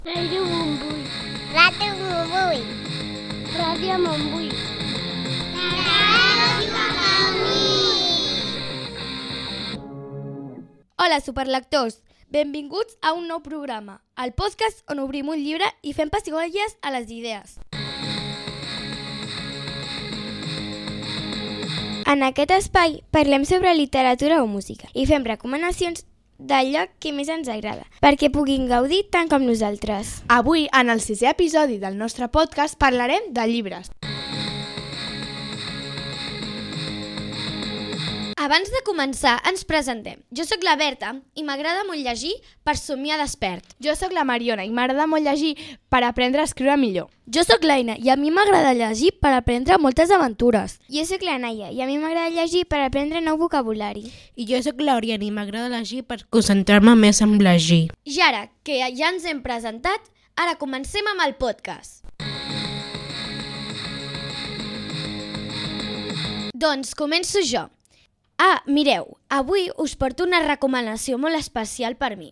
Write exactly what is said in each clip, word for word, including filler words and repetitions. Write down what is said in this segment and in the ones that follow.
Ràdio Montbui. Ràdio Montbui. Ràdio Montbui. Ràdio Montbui. Hola, superlectors! Benvinguts a un nou programa, el podcast on obrim un llibre i fem pessigolles a les idees. En aquest espai parlem sobre literatura o música i fem recomanacions d'allò que més ens agrada, perquè puguin gaudir tant com nosaltres. Avui, en el sisè episodi del nostre podcast, parlarem de llibres. Abans de començar, ens presentem. Jo sóc la Berta i m'agrada molt llegir per somiar despert. Jo sóc la Mariona i m'agrada molt llegir per aprendre a escriure millor. Jo sóc l'Aina i a mi m'agrada llegir per aprendre moltes aventures. Jo sóc la Naia i a mi m'agrada llegir per aprendre nou vocabulari. I jo sóc l'Oriana i m'agrada llegir per concentrar-me més en llegir. I ara, que ja ens hem presentat, ara comencem amb el podcast. Doncs començo jo. Ah, mireu, avui us porto una recomanació molt especial per mi.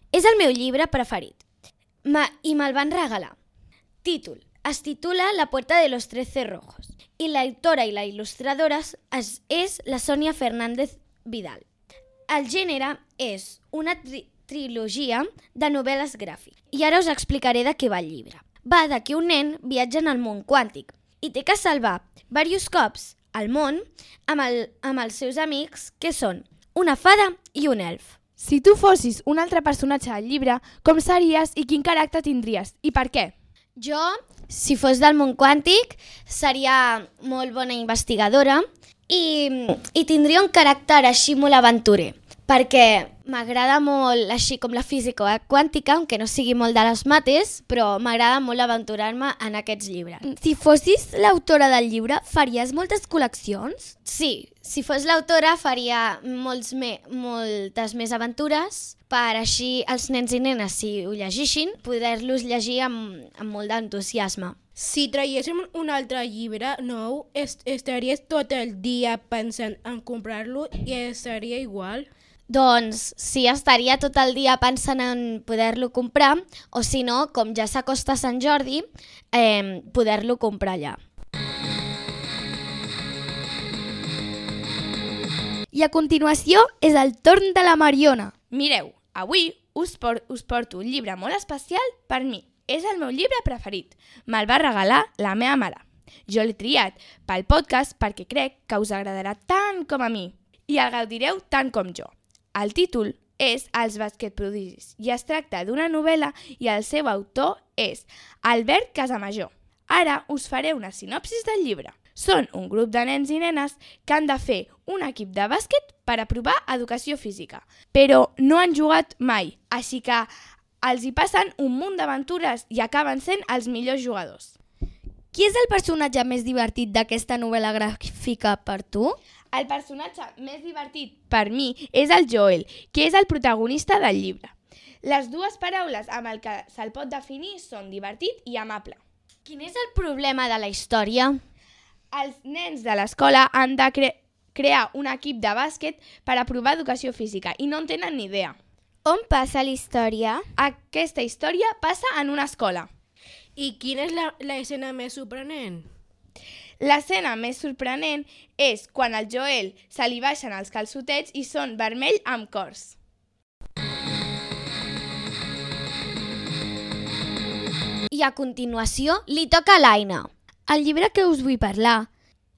És el meu llibre preferit Ma, i me'l van regalar. Títol: es titula La puerta de los trece rojos i l'autora i la il·lustradora és, és la Sònia Fernández Vidal. El gènere és una tri trilogia de novel·les gràfiques i ara us explicaré de què va el llibre. Va de que un nen viatja en el món quàntic i té que salvar diversos cops al món amb, el, amb els seus amics, que són una fada i un elf. Si tu fossis un altre personatge del llibre, com series i quin caràcter tindries? I per què? Jo, si fos del món quàntic, seria molt bona investigadora i, i tindria un caràcter així molt aventurer, perquè m'agrada molt, així com la física quàntica, aunque no sigui molt de les mates, però m'agrada molt aventurar-me en aquests llibres. Si fossis l'autora del llibre, faries moltes col·leccions? Sí, si fos l'autora faria molts me, moltes més aventures per així els nens i nenes, si ho llegeixin, poder-los llegir amb, amb molt d'entusiasme. Si traiéssim un altre llibre nou, est estaries tot el dia pensant en comprar-lo i seria igual? Doncs sí, estaria tot el dia pensant en poder-lo comprar, o si no, com ja s'acosta Sant Jordi, eh, poder-lo comprar allà. I a continuació és el torn de la Mariona. Mireu, avui us, por us porto un llibre molt especial per mi. És el meu llibre preferit. Me'l va regalar la meva mare. Jo l'he triat pel podcast perquè crec que us agradarà tant com a mi i el gaudireu tant com jo. El títol és Els basquetprodigis i es tracta d'una novel·la i el seu autor és Albert Casamajor. Ara us faré una sinopsis del llibre. Són un grup de nens i nenes que han de fer un equip de bàsquet per aprovar educació física, però no han jugat mai, així que els hi passen un munt d'aventures i acaben sent els millors jugadors. Qui és el personatge més divertit d'aquesta novel·la gràfica per tu? El personatge més divertit per mi és el Joel, que és el protagonista del llibre. Les dues paraules amb el que se'l pot definir són divertit i amable. Quin és el problema de la història? Els nens de l'escola han de cre crear un equip de bàsquet per aprovar educació física i no en tenen ni idea. On passa la història? Aquesta història passa en una escola. I quina és l'escena més sorprenent? L'escena més sorprenent és quan al Joel se li baixen els calçotets i són vermell amb cors. I a continuació li toca a l'Aina. El llibre que us vull parlar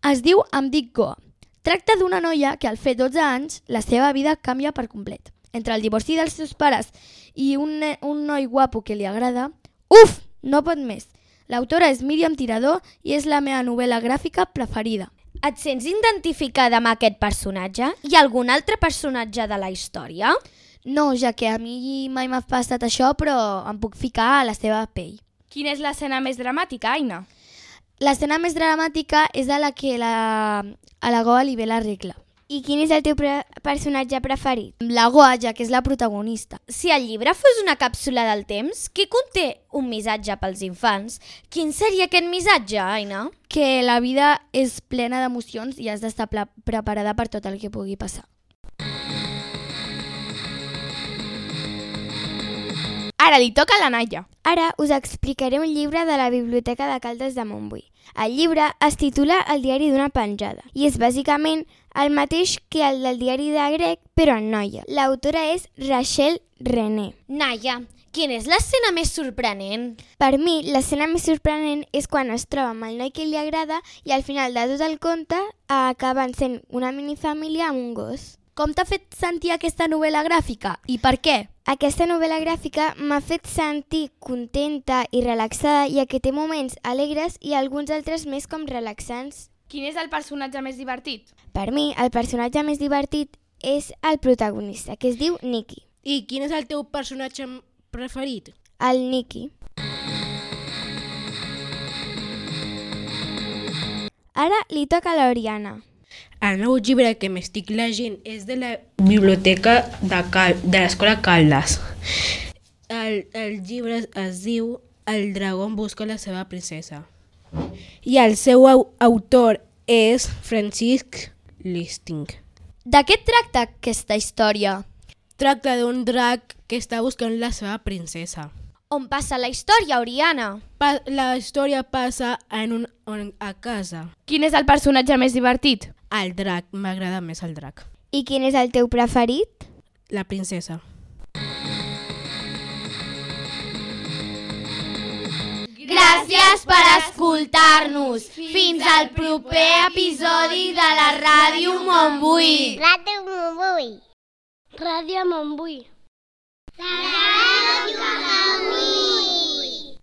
es diu Em dic Goa. Tracta d'una noia que al fer dotze anys la seva vida canvia per complet. Entre el divorci dels seus pares i un, un noi guapo que li agrada, uf, no pot més. L'autora és Míriam Tirador i és la meva novel·la gràfica preferida. Et sents identificada amb aquest personatge? Hi ha algun altre personatge de la història? No, ja que a mi mai m'ha passat això, però em puc ficar a la seva pell. Quina és l'escena més dramàtica, Aina? L'escena més dramàtica és a la que la, a la Goa li ve la regla. I quin és el teu pre personatge preferit? La Goa, ja que és la protagonista. Si el llibre fos una càpsula del temps, que conté un missatge pels infants, quin seria aquest missatge, Aina? Que la vida és plena d'emocions i has d'estar preparada per tot el que pugui passar. Ara li toca a la Naia. Ara us explicaré un llibre de la Biblioteca de Caldes de Montbui. El llibre es titula El diari d'una penjada i és bàsicament el mateix que el del diari de grec, però en noia. L'autora és Rachel René. Naia, quina és l'escena més sorprenent? Per mi, l'escena més sorprenent és quan es troba amb el noi que li agrada i al final de tot el conte acaben sent una minifamília amb un gos. Com t'ha fet sentir aquesta novel·la gràfica i per què? Aquesta novel·la gràfica m'ha fet sentir contenta i relaxada, ja que té moments alegres i alguns altres més com relaxants. Quin és el personatge més divertit? Per mi, el personatge més divertit és el protagonista, que es diu Nicky. I quin és el teu personatge preferit? El Nicky. Ara li toca a l'Oriana. El nou llibre que m'estic llegint és de la biblioteca de, Cal de l'Escola Caldes. El, el llibre es diu El dragó busca la seva princesa. I el seu au autor és Francisc Listing. De què tracta aquesta història? Tracta d'un drac que està buscant la seva princesa. On passa la història, Oriana? Pa la història passa en un, en, a casa. Quin és el personatge més divertit? El drac, m'agrada més el drac. I quin és el teu preferit? La princesa. Gràcies per escoltar-nos. Fins al proper episodi de la Ràdio Montbui. Ràdio Montbui. Ràdio Montbui. La